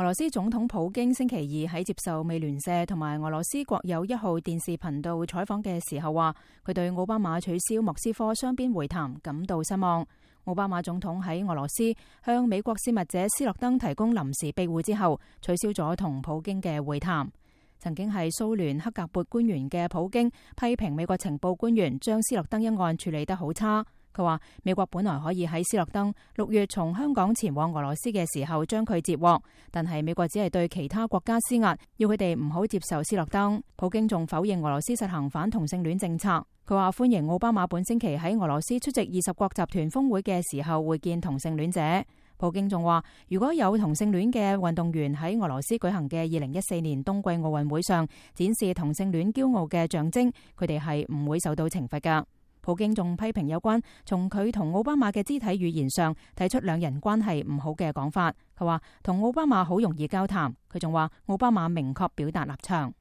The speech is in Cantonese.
俄羅斯總統普京星期二喺接受美聯社同埋俄羅斯國有1號電視頻道採訪嘅時候話，佢對奧巴馬取消莫斯科雙邊會談感到失望。奧巴馬總統喺俄羅斯向美國洩密者斯諾登提供臨時庇護之後，取消咗同普京嘅會談。曾經係蘇聯克格勃官員嘅普京批評美國情報官員將斯諾登一案處理得好差。佢話美國本來可以喺斯諾登6月從香港前往俄羅斯嘅時候將佢截獲，但係美國只係對其他國家施壓，要佢哋唔好接受斯諾登。普京仲否認俄羅斯實行反同性戀政策。佢話歡迎奧巴馬本星期喺俄羅斯出席20國集團峰會嘅時候會見同性戀者。普京仲話，如果有同性戀嘅運動員喺俄羅斯舉行嘅2014年冬季奧運會上展示同性戀驕傲嘅象徵，佢哋係唔會受到懲罰㗎。普京仲批評有關從佢同奧巴馬嘅肢體語言上提出兩人關係唔好嘅講法。佢話同奧巴馬好容易交談。佢仲話奧巴馬明確表達立場。